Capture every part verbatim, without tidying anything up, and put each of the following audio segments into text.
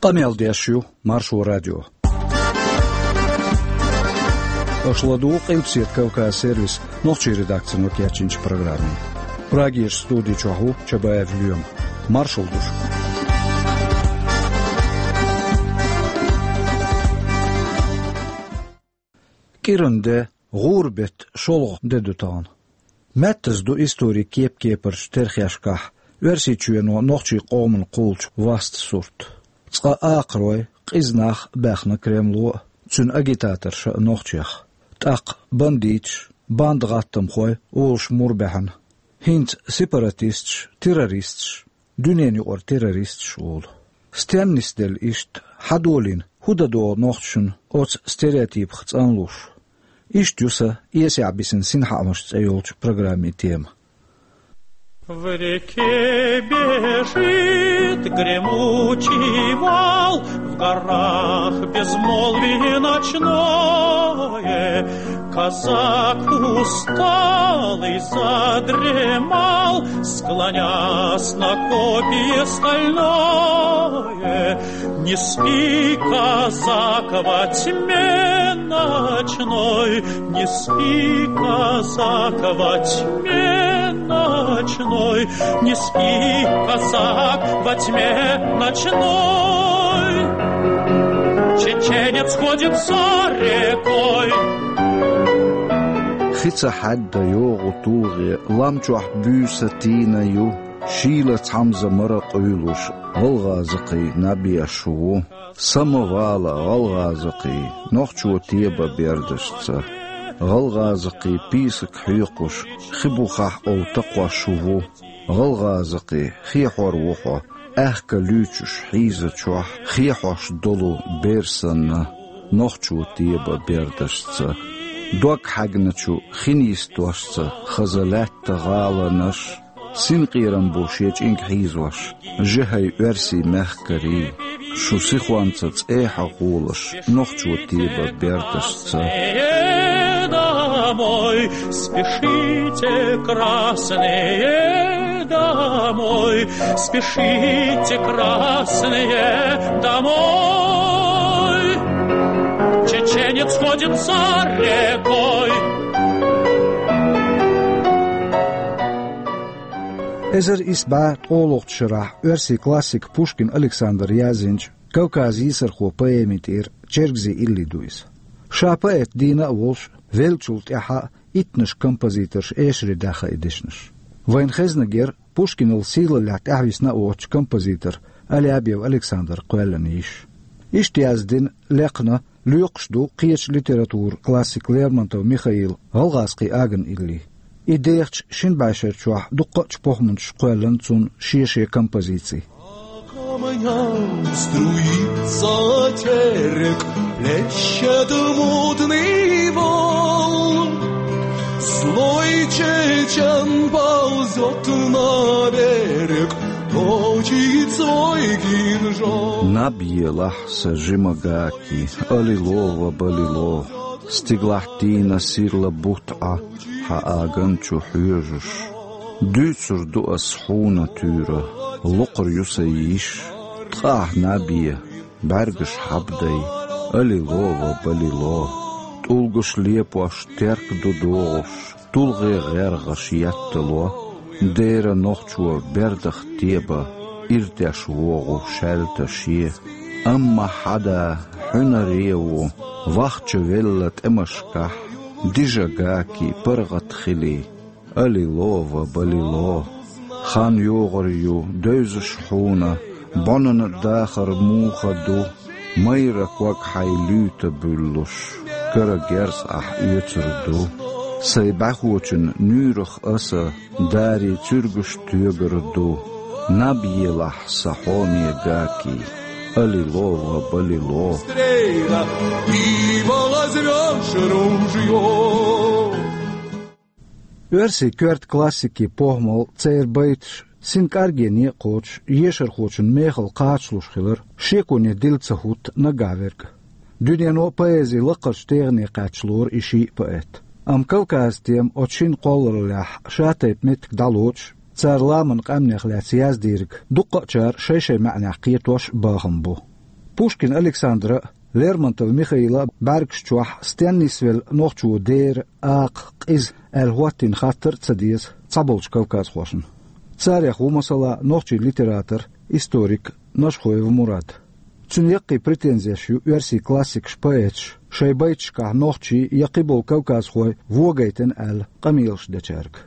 Къамел деш ю Маршо радио. Аша ладугӀу Къилбаседа Кавказ сервисан нохчийн редакцино кечйинчу программе. Прагерчу студи чохь ву Чабаев Лоьма. Маршалла ду шуьга. КӀиран де, гӀуран беттан шолгӀа де ду тахана. Маьттаза ду историн кеп-кепарчу терхешкахь Оьрсийчоьно нохчийн къомана кхуллучу васт сурт. Цкъа акхарой, къиза нах а баьхна Кремло а, цуьнан агитаторша а нохчех. ТӀаккха бандиташ, банда гӀаттамхой олуш мур баьхьна. ХӀинца сепаратисташ, террористаш, дуьненан юкъара террористаш олу. Стенна нисделла иштта, хьан долийна, хӀун дан догӀу нохчашна оцу стереотипах цӀанлуш? Иштта ю сан «Эсехь бисина синхаамаш» цӀе йолчу программин тема. В реке бежит гремучий вал, в горах безмолвие ночное. Казак усталый задремал, склонясь на копье стальное. Не спи, казак, во тьме ночной, не спи, казак, во тьме ночной, не спи, казак, во тьме ночной. Чеченец ходит за рекой. Хи ца хьаьдда йогӀу тулгӀе, лам чохь буьйса тийна ю, шийла цхьамза мара къуьйлуш, гӀалгӀазакхий наб еш ву. Са ма вала, гӀалгӀазакхий, нохчо тебан бердашца. ГӀалгӀазакхий пийсак хьоькхуш, хи бухахь ов такхош ву. ГӀалгӀазакхий, хехьор ву хьо, аьхка луьйчуш хьийзачохь, хехьош долу бер санна, нохчо тебан бердашца. Дог хьаьгначу хин йистошца хаза лаьтта гӀаланаш, синкъерам бу шен чӀинг хьийзош, жихӀай оьрсийн мехкарий, шу сихонца цӀехьа гӀолаш, нохчо тебан бердашца. Домой, спешите, красные, домой, спешите, красные, домой. Чеченец ходит за рекой. Эзар исс бӀе ткъолгӀачу шарахь оьрсийн классика Пушкин Александра яздинчу «Кавказан йийсархо» поэмин тӀера чергазийн илли ду иза. Ша поэт дийна а волуш, веллачул тӀаьхьа а иттаннаш композиторша эшаре даьхна и дешнаш. Вайна хезнарг яра Пушкинал сийлаллехь тӀаьхьависна а воцучу композитор Алябьев Александра кхоьллина йиш. Иштта яздина, лехна, лоькхуш ду кхечу литературан классика Лермонтов Михаила «ГӀалгӀазкхийн аган» илли. И дехачу шина бӀешерачохь дуккха а чу похӀманчаша кхоьллина цунна шен-шен композиций. По камням струится терек, плещет мутный вал. Злой чечен ползёт на берег, точит свой кинжал. Наб елахь, сан жима ГакӀи, алило ва балило. Стигалахь тийна сирла бутт Ӏа, хьан аган чу хьоьжуш. Дуьйцур ду ас хьуна туьйра, локхур ю сан йиш, ткъа ахь наб е, бӀаьргаш хьабдай, алило ва балило. ТӀулгаш лепош терк ду догӀуш, тулгӀе гӀергӀаш еттало. Дера нохчо бердах тебан, ирдеш вогӀу шаьлта шен. Амма хьан да хьуьнаре ву, вахча велла тӀемашкахь, дижа ГакӀи паргӀат хилий, алило ва балило. Хан йогӀур ю, девзаш хьуна, бӀонан дахар муха ду, майра ког хьайн луьйта буьллуш, кара герз ахь оьцур ду. Сайн бӀаьхочун нуьйрах аса дарий цуьргаш тоьгур ду. Наб елахь, сан хьоме ГакӀи, алило ва балило. Стрела, и возьмёшь ружьё. Оьрсийн коьрта классикийн похӀмал, церан байташ, синкъаргене а кхочуш, ешархочун мехала кхачалуш хилар шеконе дилла ца хӀутту наггахь верг. Дуьнено а поэзин лакхарчу тегӀане кхачалора и шиъ поэт. Амма Кавказан тема оцу шина кхоллараллехь ша-тайпа меттиг дӀалоцуш, цара ламанан къаьмнех лаьцна яздийриг дуккха а чара шай-шай маьӀнех кхетош а бахам бу. Пушкин Александра а, Лермонтов Михаила а бӀаьргаш чохь стенна нисвелла нохчо дера, акха, къиза аьлла хӀоттийна хаттар а ца деза цхьаболчу кавказхошна. Царех ву, масала, нохчийн литератор, историк Нашхоев Мурад. Цуьнан яккхий претензеш ю оьрсийн классикаш, поэташ шайн байташкахь нохчийн я кхиболу кавказхой вогайтина аьлла къамелаш дечаьрга.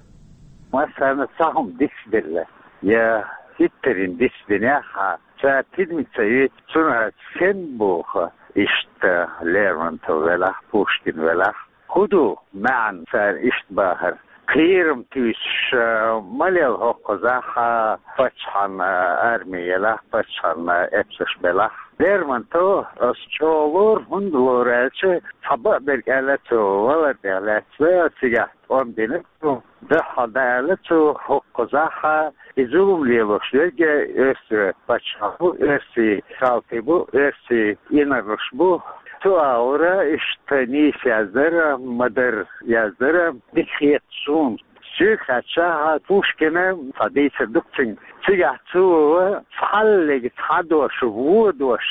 Массарна цхьа хӀума дицделла, я хӀиттарина дицдинехь а, цара тидамиг ца йойту, цунах стенна боху, иштта Лермонтов велахь, Пушкин велахь, хӀун ду маьӀна цара иштта бахар? Кхерам туьйсуш, а, ма лела хӀокхузахь, а, паччахьан, а, арми елахь, паччахьан, а, эпсаш белахь. Лермонтов ас чӀогӀа лору, хӀунда лору аьлча, цхьа бакъдерг аьлла цо, валар тӀехь лаьцна цигахь тӀом бина цо, дуьххьал дӀааьлла цо хӀокхузахь, а, и зулам лелош верг оьрсийн паччахь бу, оьрсийн салтий бу, оьрсийн инарлаш бу. Цу агӀора иштта нийса яздара, ма-дарра яздара, дика хета суна. Соьга хаьттича, Пушкина цхьа дийцар ду-кх цуьнан. Цигахь цо цхьаллиг цхьа дош, вон дош,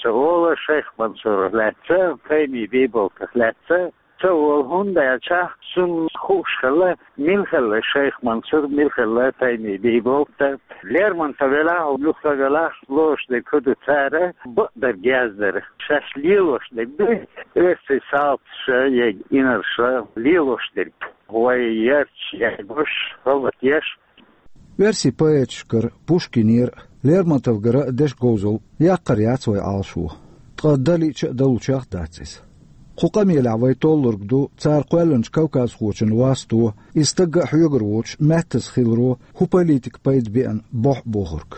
ца олу Шайх Мансурах лаьцна, Тайми Бийболтах лаьцна, ца олу, хӀунда аьлча цунна хууш хилла, мила хилла Шайх Мансур, мила хилла Тайми Бийболт. Лермонтов велахь, юха велахь, лоруш дерг хӀун ду, цара бакъдерг яздара. Шаьш лелош дерг ду, оьрсийн салташа я инарша лелош дерг. Вай ярташ яйбуш, гӀалат еш. Оьрсийн поэташкара, Пушкинера а, Лермонтовгара а деш говзалла яккхар яц вай Ӏалашо. Ткъа дан лиъча а далучех а дац иза. Кху къамелехь вай толлург ду цара кхоьллинчу кавказхочун васто, и стагга а хьоьгур воцуш, маьттаза хиларо хӀун политика пайда беана бохьу бохург.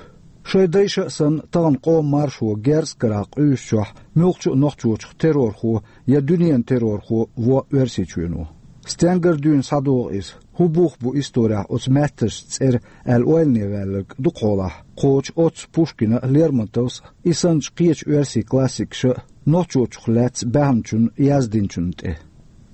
Шайн дайша а санна, тахана къоман маршо герз а карахь къуьйсучохь, муьлххачу а нохчочух террорхо я дуьненан террорхо во Оьрсийчоьно. Стенгара дуьйна схьадогӀу иза? ХӀун бух бу исторехь оцу маьттазчу цӀера аьлла ойлане ваьлларг дукха хьолахь кхочу оццу Пушкина а, Лермонтовс а, и санначу кхечу оьрсийн классикаша а нохчочух лаьцна баьхначунна яздинчунна тӀе?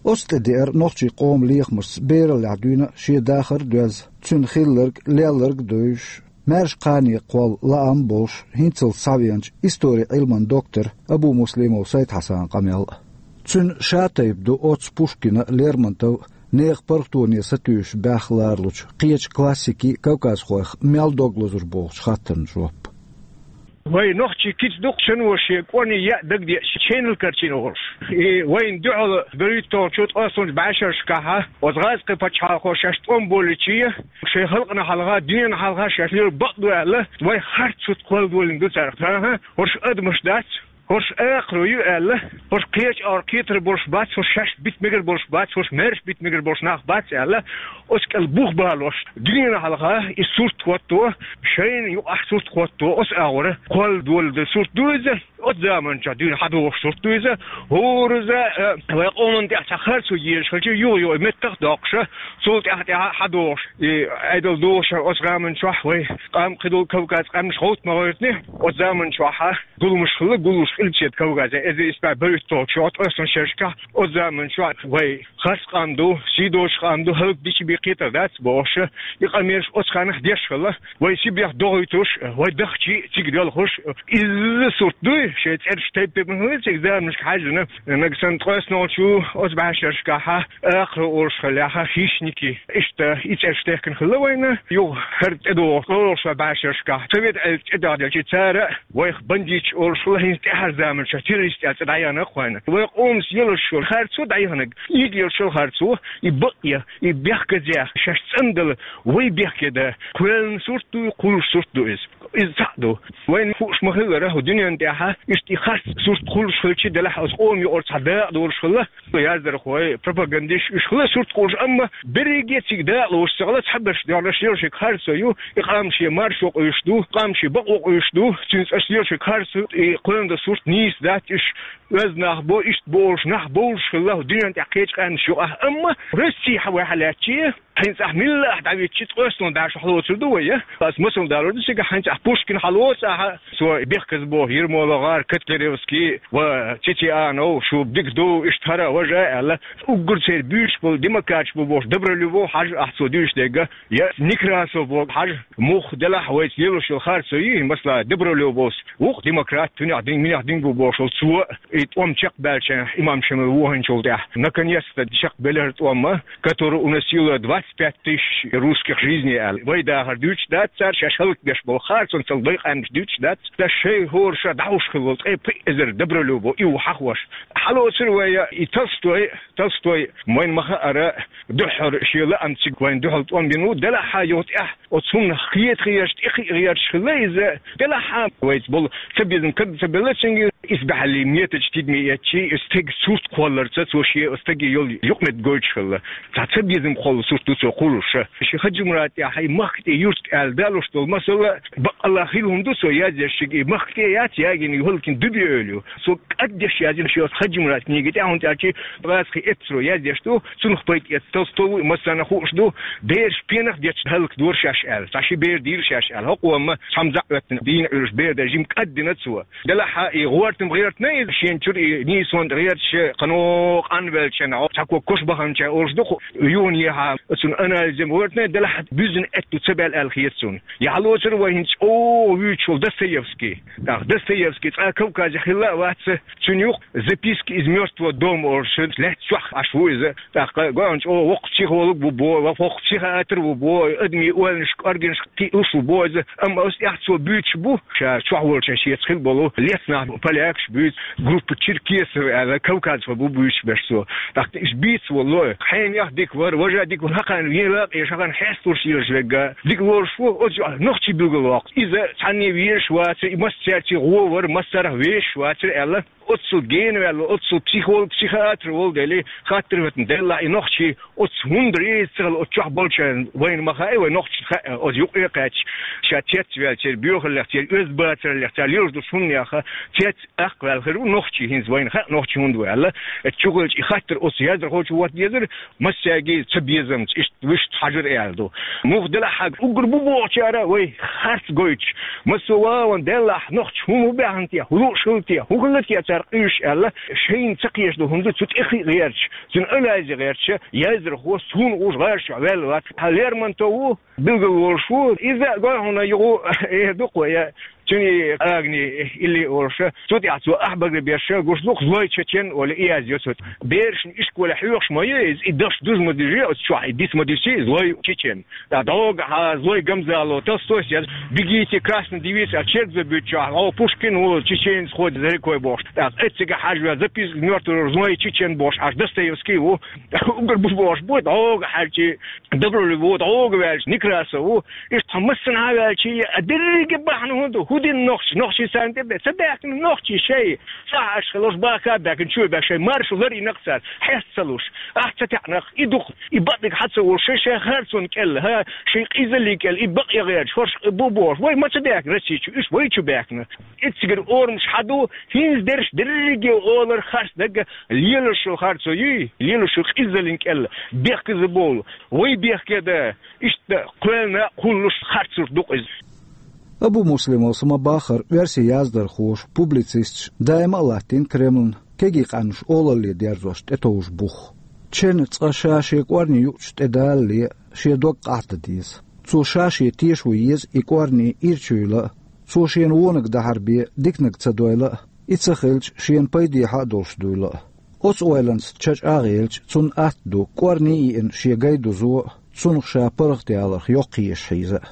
Оцу тӀе деара нохчийн къоман лехамашца бераллехь дуьйна а, шен дахар а доьзна, цуьнан хилларг, лелларг а девзаш, маьрша кхане кхолла лаам а болуш, хӀинццалц схьавеанчу историн Ӏилман доктор Абумуслимов Сайд-Хьасанан къамел а. Цуьнан ша тайпа ду оццу Пушкина а, Лермонтовн а нехан паргӀатоне сатуьйсуш баьхна ларалучу кхечу классикийн, кавказхойх мел дог лазар бохучу хаттарна жоп. Вай нохчийн кица ду-кх шен вовшийн кӀорни яа дагадеъча, ченал карчийна волуш. И вайна дуьхьал берхӀитталгӀачу ткъаесналгӀачу бӀешерашкахь оцу гӀазкхийн пачхьалкхо шаьш тӀом болийча, шайн халкъана хьалха, дуьненна хьалха шаьш лелор бакъ ду аьлла, вай харц сурт кхолладолийна ду цара. ХӀан-хӀа, хӀорш адамаш дац, хӀорш акхарой ю аьлла, хӀорш кхечу агӀор кхетар болуш бац, хӀорш шаьш бита мегар болуш бац, хӀорш маьрша бита мегар болуш нах бац аьлла, оцу кӀел бух балош, дуьненна хьалха и сурт хӀотто, шайна юкъахь сурт хӀотто, оцу агӀора кхолладолу сурт ду иза, оцу заманчохь дуьйна хьадогӀуш сурт ду иза, хӀораза, э, вай къоман тӀехь цхьа харцо езаш хилча, юха-юха меттах а доккхуша, цул тӀаьхьа-тӀаьхьа хьадогӀуш, и Ӏедал догӀуша оцу заманчохь вай къам кхидолу Кавказ къаьмнаш гӀовт ма гӀоьртни, оцу заманчохьа зуламаш хилла, гуллуш Къилбаседа Кавказехь, эзар исс бӀе берхӀитталгӀачу ткъаесналгӀачу шерашкахь, оцу заманчохь вай харц къам ду, сий доцуш къам ду, хӀаллакдича бен кхетар дац бохуша, и къамелаш оцу хенахь деш хилла, вай Сибрех догӀуьйтуш, вай дахчий цига доьлхуш, изза сурт дуй, шайн цӀераш тайп-тайпана хилла цига заманашка хьаьжжина, нагахь санна ткъаесналгӀачу оцу бӀешерашкахьа, акхаро олуш хиллехьа, хищники, иштта и цӀераш техкина хилла вайна, юха хӀара тӀедогӀу ткъолгӀачу бӀешерашкахь, Совет Ӏедал тӀедогӀделча цара, вайх бандиташ олуш хилла, хӀинца тӀаьхьара заманчохь террорист аьлла цӀе дӀаяханарг вайна. Вай къомаца елаш йолу харцо дӀаяханарг, ийга елаш йолу харцо, и бакъ я, и бехказъяха, шаьш цӀандала, вай бехке дан кхоьллина сурт ду, кхуллуш сурт ду иза. Иза цхьаъ ду. Вайна хууш ма-хиллара, хӀу дуьненна тӀехьа иштта и харц сурт кхуллуш хилча делахь, оцу къоман юкъара цхьа дакъа долуш хилла, яздархой, пропагандисташ, уьш хилла сурт кхуллуш, амма берриге цига дакъа лоцуш ца хилла, цхьаберш доьгӀнаш лелаш ерг харцо ю, и къам шен маршо къуьйсуш ду, къам шен бакъо къуьйсуш ду, цуьнца аша лелаш ерг харцо, и кхоьллина дан сурт нийса дац, уьш оьзда нах бу, иштта бу олуш нах бовлуш хилла, хӀу дуьненна тӀехь кхечу къаьмнаш юкъахь, амма Россия хьан вай хьалаьцчи, хӀинца ахь милла ахь дӀавитчи, ткъоьстал бӀаьш хьалоцур ду вай, я? Ас масал далур ду цига, хӀинца ахь Пушкин хьалоца ахьа, цо Бехказбо, ЕрмоловгӀар, Котляревский ва Тетианов, шу дика ду, иштта хӀара важа аьлла, уггар церан буьйцуш болу, демократаш бу бохуш, Добролюбов хьажа ахь цо дуьйцуш дерг, я Некрасов боху хьажа, муха делахь вайца лелош йолу харцо йий, масала, Добролюбовс вукху демократ, цунах дин, минах дин бу бохуш волу цо, и тӀом чекхбаьлча имам Шамил вохийначул тӀаьхьа, наконец-то чекхбелира тӀом, который уносило двадцать пять тысяч русских жизней аьлла. Вай дахар дуьйцуш дац цара, шаьш хӀаллакдеш болу харцонца вай къаьмнаш дуьйцуш дац. Ткъа шайн хӀора ша дӀахьуш хилла волу ткъе пхиъ эзар Добролюбов, и ву хьахош. Хьалоцура вай и Толстой, Толстой, вайна ма-хаъара, дуьххьара шен лаамца цига вайна дуьхьал тӀом бина ву, делахь а юха тӀехь оцу хӀуманах кхета гӀерташ, тӀекхиа гӀерташ хилла иза, делахь а вайца болу цабезам кад ца белла цуьнга, исбаьхьаллин методаш тидаме эцчи, стеган сурт кхолларца цо шен стаге йолу юкъаметтиг гойтуш хилла. Цхьа цабезам кхолла сурт ду цо кхуллуш. Шен Хаджимурад тӀехь и махка тӀе юрт аьлла далуш долу масала баккъалла хилла хӀума ду цо яздеш, шига и махка тӀе яц ягийна, ю хӀаллакьхина Дуьбе ойла ю. Цо кӀаддеш яздина шен Хаджимурад книга тӀехь, хӀунда аьлча база кхин эпсаро яздеш ду, цунах пайда эцна Толстой ву, и массарна хууш ду, бераш пенах детташ хӀаллакдора шаьш аьлла, цхьа ши бер дийра шаьш аьлла. ХӀокхо ма цхьамма заьӀветтина дийна Ӏуьллуш бер дан жима кӀаддина цо. Делахь а и гӀортам гӀертина иза шена чуьра, и нийсонан гӀерташ, кхано къанвелча, цхьа ког кош баханча олуш ду кху юханехьа, цуьнан анализам гӀертина, делахь а буьззина аьтто ца баьлла аьлла хета цунна. Яхь лоцура вай хӀинца чӀогӀа вуьйцуш волу Достоевский. ТӀаккха Достоевский цкъа Кавказехь хилла а вац, цуьнан юкъа «Записки из мёртвого дома» олуш лаьтта чохь Ӏаш ву иза. ТӀаккха гой хьуна чӀогӀа воккха психолог ву боху, воккха психиатр ву боху, адамийн ойланаш, кӀоргенаш кхиалуш ву боху иза. Амма оцу тӀехь цо буьйцуш бу, ша чохь волчохь шеца хилла болу лецнах полякаш буьйцу, группа Черкесов аьлла, Кавказехь бу буьйцуш берш цо. ТӀаккха иза бийца волу, хьенех дика вара, важа дика вара, хӀокхарна вен лакъе, хӀокхарна хьесталуш йолуш верг дика лоруш ву, оцу нохчий билгалвоккху. Иза цхьанне везаш вацара, и массаьрца гӀо вара, массарах везаш вацара аьлла, оццул гена ваьлла, оццул психолог, психиатр волу дели, хаттар хӀоьттина делла, и нохчий оцу хӀунда реза ца хилла, оцу чохь болчарна, вайна ма хаьа, вай нохчашна хаьа, оцу юкъе а кхаьчча, ша цецваьлла, церан боьхаллех, церан оьзда бацараллех, цара лелаш долчу хӀуманех цец- Аккха ваьлла хир ву нохчий, хӀинца вайна хаьа нохчий хӀунда ву аьлла. Оцу чухуьлча и хаттар оцу яздархочо хӀоттадезара, массаьрга ца безамца, иштта вуьшта хьажар аьлла ду. Муха делахь а, уггар бу бохучара вай харц гойтуш, массо а вагӀан деллахь, нохчий хӀун ву баьхна те, хӀун лууш хилла те, хӀун хилла те цара къуьйсуш аьлла, шайна ца кхеташ долу хӀума ду, цу тӀе хи гӀерташ, цуьнан анализе гӀерташ, яздархо суна гӀуш гӀараш чохь ваьлла вац. Хьан Лермонтов ву, билгал волуш ву. Иза гой хьуна юху эр ду-кх вай, я, цуьнан агни илли олуш. Цу тӀехь цо ахь багара берш гуш ду-кх, «Злой чечен» олу, и яздо цо. Берашна ишколе хьоьхуш ма ю иза, и даш дуза ма дижи оцу чохь, и диц ма дисси, «Злой чечен». ТӀаккха дӀогахьа, «Злой гамзало», Толстойс яз, «Бегите, красная девица», а чергаза буьйцучохь, о, Пушкин ву, чеченец ходит за рекой бохуш. ТӀаккха эццигахь хьажа ваьлла, «Записки из мёртвого», «Злой чечен» бохуш, аш Достоевский ву. Уггар бу бохуш бу, дӀогахьаьрчи, Добролюбов ву, дӀогахьаьрчи, Некрасов ву. Иштта хьан массанхьа а ваьлчи, а дерриге бахьана хӀун ду? ХӀун дина нохчий? Нохчий царна тӀе бе-, ца баьхкина нохчий шай. Цхьа Ӏаш хилла, уьш баха а баьхкина, чу а баьхкина, шайн маршо лар йина-кх цара. Хьеста ца луш. Ахь ца таьӀна-кх, и ду-кх, и бакъдерг хьан ца волуш, шайн, шайн харцонна кӀел, хӀа, шайн къизаллин кӀел, и бакъ ян гӀерташ, хӀорш бу бохуш. Вай ма ца баьхкина Росси чу, уьш вай чу баьхкина. Эццигара орамаш хьан ду, хӀинца дерш дерриге олар харц дагга, лелаш йолу харцо юй, лелаш йолу къизаллин кӀел, бехказа болу, вай бехке дан, иштта кхоьллина кхуллуш харцург ду-кх иза. Абу Муслимовс ма-баххара, оьрсийн яздархоша, публицисташа даима а латтийна Кремлна кегий къаьмнаш олалле дерзош тӀетовжа бух. Чен цкъа ша шен кӀорни юучу тӀедалале шен дог къахьда деза. Цо ша шен тешо еза и кӀорни ирча юйла а, цо шена вониг дахьар бен диканиг ца дойла а, и ца хилча шена пайдехьа а долуш дуйла а. Оцу ойланца ча чӀагӀъелча, цунна атта ду кӀорни а йиъна шен гай дузо а, цунах ша паргӀатъяларх йоккхаеш хьийза а.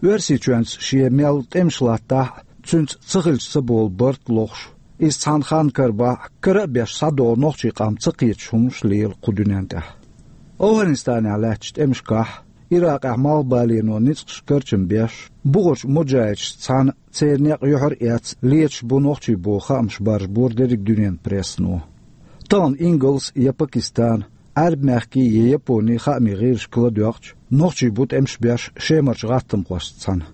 Оьрсийчоьнца шен мел тӀемаш латтахь а, цуьнца ца хилча ца болу барт лохуш, иза цхьана ханна карабахь а, кара а беш схьадогӀу нохчийн къам ца кхеташ хӀуманаш лела кху дуьнен тӀехь. АфгӀанистанехь лаьттачу тӀемашкахь, Иракъехь малхбалено ницкъаш карчам беш, бухарчу муджахӀидашца цхьаьна церан некъ юьхьар а эцна леташ бу нохчий боху хаамаш баржабора дерриг дуьненан прессано. Тахана Ингалс я Пакистан, Ӏаьрбийн мехкийн я Японийн хаамийн гӀирсашка ладоькъча, нохчий бу тӀемаш беш Шемарчу гӀаттамхошца цхьаьна.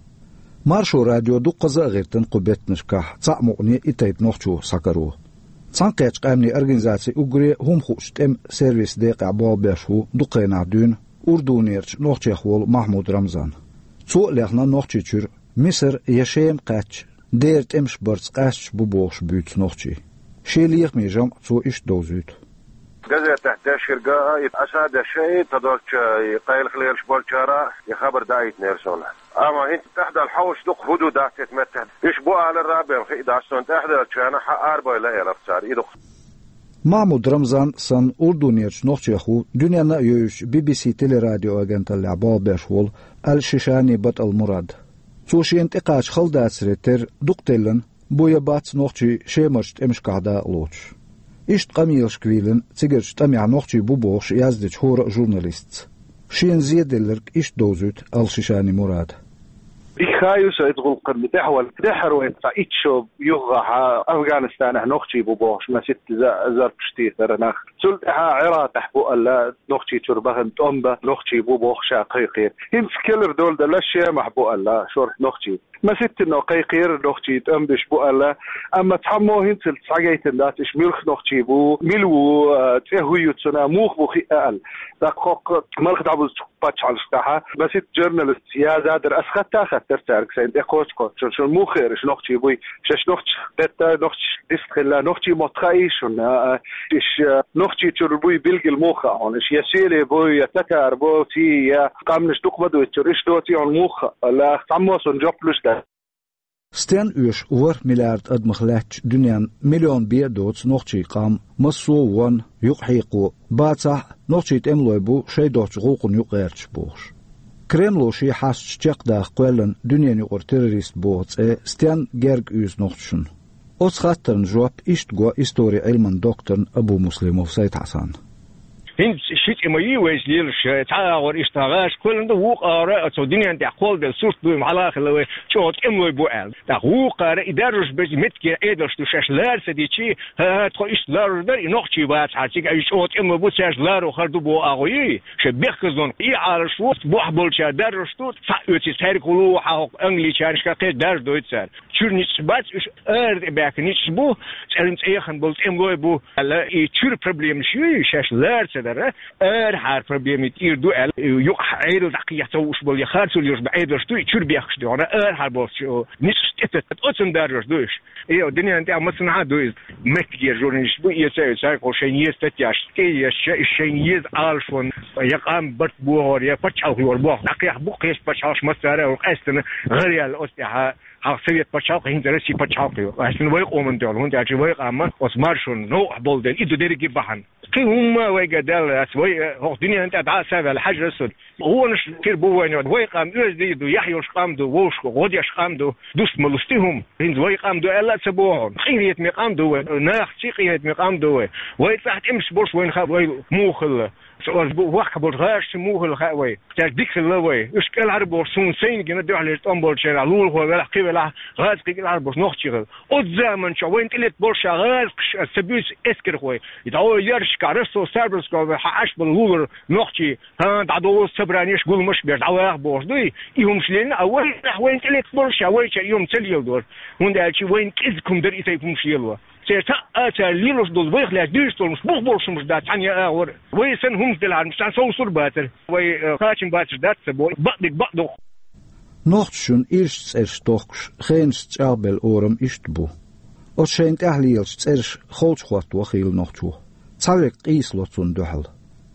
Маршо радио дуккхаза а гӀиртина кху беттанашкахь цхьаъ мукъане а, и тайпа нохчо схьакаро. Цхьаьнакхеттачу къаьмнийн организацин уггаре а хӀума хуучу тӀеман сервисан декъехь болх беш ву дукха хенахь дуьйна Урдунерчу нохчех волу Махьмуд Рамзан. Цо а лехна Нохчийчуьра Мисар я Шема кхаьчча, дера тӀемаш барца къаьсташ бу бохуш буьйцу нохчий. Шен лехаме жамӀ цо иштта довзуьйту. Газетехь дешхирга а, и Ӏаса дешши, и тадолчу, и къайлах лелаш болчара а, и хабар даийтинера суна. Амма хӀинца тӀаьхьадала хьовсуш ду-кх, хӀун ду дац и меттехь. Уьш бу алар а бен хи дац суна, тӀаьхьадалчарна хьан арабевлла элира цара, и ду-кх. Махьмуд Рамзан санна урдунерчу нохчех ву дуьненна а йовзуьйтуш Би-Би Си телерадиоагенталлехь болх беш волу Ал-Шишани БатӀал Мурад. Цо шена тӀекхача хала дацаре терра дукха деллина, бу я бац нохчий Шемарчу тӀемашкахь дакъалоцуш. Иштта къамелашка вийлина цигарчу тӀамехь нохчий бу бохуш яздечу хӀора а журналистца. Шена зеделларг иштта довзуьйту Ал-Шишани Мурада. И ха ю сан иза гӀуллакхана тӀехь ван. ТӀаьхьара вайн цхьа итт шо юххехь Афганистанехь нохчий бу бохуш, маситта за-, зарпаш тийсара нах. Цул тӀаьхьа Ӏиракъехь бу аьлла, Нохчийчуьра бахана тӀом бан нохчий бу бохуш а кхайкхийра. ХӀинца кхелара дола делла Шемахь бу аьлла, шорта нохчий. Маситтано кхайкхийра нохчий тӀом беш бу аьлла, амма цхьаммо хӀинцалц схьагайтина дац, уьш муьлха нохчий бу, мила ву, а, цӀе хӀун ю цуьнан, муха бу хиъна аьлла. ТӀаккха хӀокху малх дӀабузучу пачхьалкхашкахь маситта журналисташа яздаьдар, ас хатта а хаттара цаьрга, сайна тӀе кхочуш-кхочуш: «Шуна муха хиира уьш нохчий буй? Шаьш нохчех хетта, нохчашка дистхилла, нохчийн мотт хаьий шуна? А, уьш, а, Нохчийчуьра буй билггал муха хаьа хьуна? Уьш я селий бу, я татар бу, цӀий, я къаьмнаш дукха ма ду цуьра, уьш доций хьуна муха хаьа?» — аьлла, цхьаммо суна жоп луш дац. Стенна оьшу ворхӀ миллиард адамах лаьттачу дуьненна миллион бен а доцу нохчийн къам, массо а вон, юкъахьекхо, бацахь а, нохчий тӀемалой бу шайн доцчу гӀуллакхна юкъагӀерташ бохуш. Кремло шен хьасташ чекхдаха кхоьллина дуьненаюкъара террорист боху цӀе стенна герга уьйзу нохчашна? Оцу хаттарна жоп иштта го историн Ӏилманан докторна Абумуслимов Сайд-Хьасанна. ХӀинца ши цӀе ма йий вайца лелаш, цхьа агӀор иштта гӀаш кхоьллина ду, вукху агӀора оцу дуьнен тӀехь кхолладелла сурт дуй-м хьала а хилла вай, чӀогӀа тӀемалой бу аьлла. ТӀаккха вукхара и даржаш беза меттигера Ӏедалш ду шаьш ларца дичи, хӀа-хӀа, тхо иштта ларжаш дара, и нохчий бацахьара цига, и чӀогӀа тӀемалой бу, цаьрца ларо хир ду боху агӀо йий? Шайн бехказлонах и Ӏалаш ву, бохь болчара даржаш ду, цхьаъ оьций цаьрга хӀун луо хьан хӀокху англичанашка кхечу даржа дойту цара. Чуьра ницкъаш бац, уьш ара тӀе баьхкина ницкъаш бу, цӀеран цӀе яхана болу тӀемалой бу аьлла, и чуьра проблемаш ю, шаьш лара ца дара, арахьара проблемий тӀера ду аьлла, юкъахь Ӏедал дӀакхехьа ца хууш болу я харцо лелаш бу Ӏедалш ду, и чуьра бехкаш ду хьуна, арахьара болчу ницкъаш тӀе тетта. Оцунна даржаш ду уьш. И дуьнен тӀехь массанхьа а ду иза. Меттигера журналисташ бу, эца а эца, кхо шайна еза статьяш тӀе а еза, шайна еза Ӏалашонан я къам барт бохор, я пачхьалкх йор боху. ДӀакхехьа бу кхечу пачхьалкхаш массара а, къаьстина гӀараяьлла оцу тӀехь. Хьалха Совет пачхьалкх, хӀинца Россия пачхьалкх ю. Ас вай къоман тӀехь, хӀунда аьлча вай къам оцу маршонна новкъахь болу дела, и ду дерриге а бахьана. Кхин хӀумма а вайга даьлла дац, вай, э, хӀокху дуьнен тӀехь дӀа а саваьлла хьажа аса. Гонаш хир бу вайна, вай къам оьзда ду, яхь йолуш къам ду, вовшашка гӀо деш къам ду, дуста ма лусти хӀума. ХӀинца вай къам ду аьлла а ца боху хьуна. Къинхетаме къам ду вай, нахаца къинхетаме къам ду вай. Вай цӀахь тӀемаш болуш вайна хаьа вай муха хилла. Цо аса бу вахка болчу гӀазкхаша муха хилла хаьа вай. Цаьрга дика хилла вай. Уьш кӀелхьара бохуш, суна сайна гина дуьхьалерчу тӀом болчерахь, лулахо велахь, кхин велахь, гӀазкхий кӀелхьара болуш нохчий хилла. Оцу заманчохь вайна тӀелетта болуш ша гӀазкхаш, аса ца буьйцу эскархой. И дӀо яршка, Ростов-Сарбрсков хьан Ӏаш болу лулара нохчий, хӀан, дӀадовза собранеш, гуламаш беш, дӀаваха бохуш дуй. И хӀумаш лелийна, а вайнахь вайна тӀелетта болуш ша вайчара и хӀума ца леладора. ХӀунда аьлча вайна кӀезиг хӀума дара и тайпа хӀумаш лело. Церан таӀа цара лелош долу вайх лаьцна дуьйцуш долуш бух болуш хӀумаш дац цхьана я агӀор. Вай санна хӀумаш делахьара, цхьана совсур а бацара. Вай, э, кхачам бацар дац ца боху, бакъдерг бакъ ду. Нохчашна ирча цӀераш тохкуш, хенашца чӀагӀбелла орам иштта бу. Оцу шайна тӀехь лелачу цӀераш холчу хӀотто хийла нохчо. Цхьаверг къийсало цунна дуьхьал.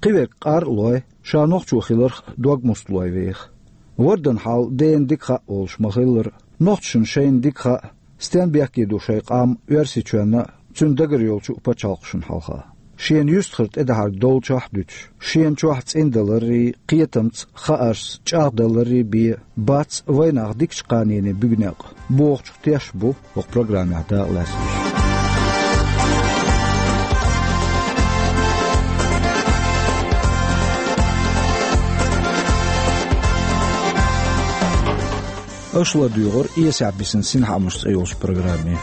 Кхиверг къар а лой, ша нохчо хиларх дог муста лой веха. Вордан хьал дена дика хаьа олуш ма-хиллара, нохчашна шайна дика хаьа, стен бехке ду шайн къам Оьрсийчоьнна а, цуьнан дагара йолчу а пачхьалкхашна хьалха. Шена юьстахара тӀедахьарг долчохь а дуьтуш, шена чохь цӀиндаларрий, кхетамца, хааршца чӀагӀдаларрий бен, бац вайнах дикачу кханене буьгу некъ, бохучух теш бу хӀокху программехь дакъалаьцнарш. Аша ладуьйгӀура «Эсехь бисина синхаамаш» цӀе йолчу программе.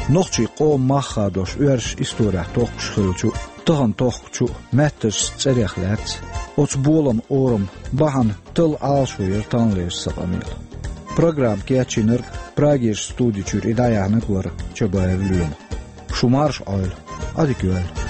Нохчийн къоман мах хадош оьрсаша исторехь тохкуш хиллачу, тахана тохкучу меттазчу цӀерех лаьцна, оцу боламан орам, бахьана талла Ӏалашо яра таханлерчу сан къамелан. Программа кечйинарг Прагерчу студи чуьра и дӀаяьхьнарг вара Чабаев Лоьма. Шу марша Ӏойла, Ӏадика йойла.